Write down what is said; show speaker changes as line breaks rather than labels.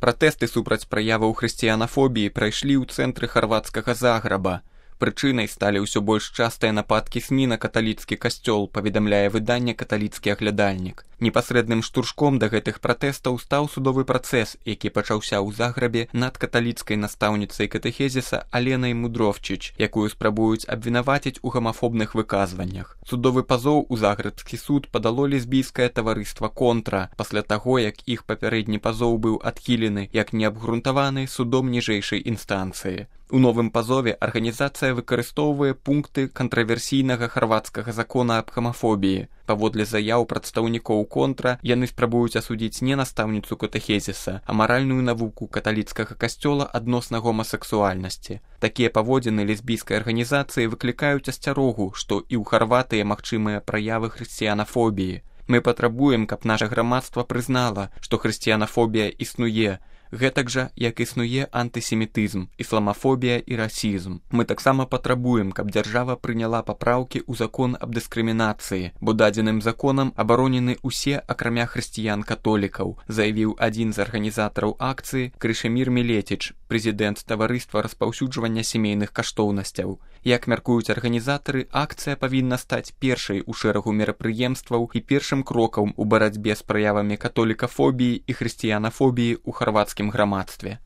Пратэсты супраць праяваў хрысціянафобіі прайшлі ў цэнтры харвацкага Заграба. Прычынай сталі ўсё больш частыя нападкі СМІ на каталіцкі касцёл, паведамляе выданне «Каталіцкі аглядальнік». Непасрэдным штуршком да гэтых пратэстаў стаў судовы працэс, які пачаўся ў Заграбе над каталіцкай настаўніцай катэхезіса Аленай Мудровчыч, якую спрабуюць абвінаваціць у гамафобных выказваннях. Судовы пазоў у загрэбскі суд падало лесбійскае таварыства «Контра» пасля таго, як іх папярэдні пазоў быў адхілены як неабгрунтаваны судом ніжэйшай інстанцыі. У новым пазове арганізацыя выкарыстоўвае пункты кантраверсійнага харвацкага закона аб гамафобіі. Паводле заяў прадстаўнікоў «Контра» яны спрабуюць асудзіць не настаўніцу катэхезіса, а маральную навуку каталіцкага касцёла адносна гомасексуальнасці. Такія паводзіны лесбійскай арганізацыі выклікаюць асцярогу, што і ў Харватыі магчымыя праявы хрысціянафобіі. Мы патрабуем, каб наша грамадства прызнала, што хрысціянафобія існуе, гэтак жа, як існуе антысемітызм, ісламафобія і расізм. Мы таксама патрабуем, каб дзяржава прыняла папраўкі ў закон аб дыскрымінацыі, бо дадзеным законам абаронены ўсе, акрамя хрысціян-католікаў, заявіў адзін з арганізатараў акцыі Крышемір Мілетіч, прэзідэнт таварыства распаўсюджвання сямейных каштоўнасцяў. Як мяркуюць арганізатары, акцыя павінна стаць першай у шэрагу мерапрыемстваў і першым крокам у барацьбе з праявамі католікафобіі і хрысціянафобіі ў харвацкім грамадстве.